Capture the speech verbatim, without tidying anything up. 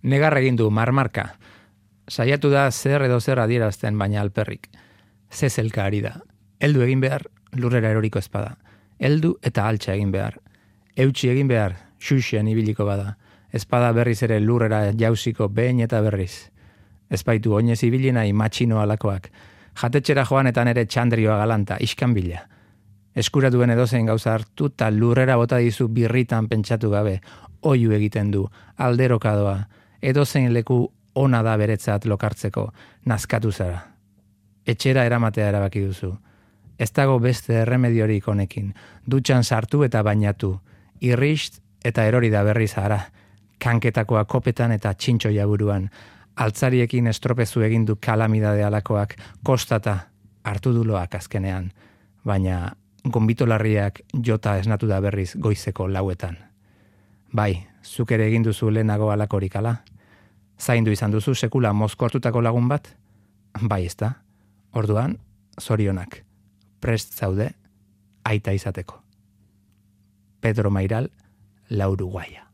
Negar egin du marmarka. Saiatu da zer edo zer adierazten baina alperrik. Zezelka ari da. Heldu egin behar, lurrera eroriko espada. Heldu eta altxa egin behar. Eutsi egin behar, xuxean ibiliko bada. Espada berriz ere lurrera jausiko behin eta berriz. Ezpaitu oinez ibilina matxino alakoak. Jatetxera joan eta nere txandrioa galanta, iskan bila. Eskuratuen edozein gauza hartu eta lurrera bota dizu birritan pentsatu gabe. Oiu egiten du, alderokadoa. Edozein leku ona da beretzat lokartzeko, nazkatu zara. Etxera eramatea erabaki duzu. Ez dago beste erremediorik honekin. Dutxan sartu eta bainatu. Irrist eta erori da berri zara. Kanketakoa kopetan eta txintxoia buruan. Altzariekin estropezu egin du kalamidade alakoak kostata hartu duloak azkenean. Baina gonbitolarriak jota esnatu da berriz goizeko lauetan. Bai, zuk ere egin duzu lehenago alakorik ala? Zaindu izan duzu sekula mozkortutako lagun bat? Bai ez da. Orduan, zorionak. Prest zaude, aita izateko. Pedro Mairal, La Uruguaya.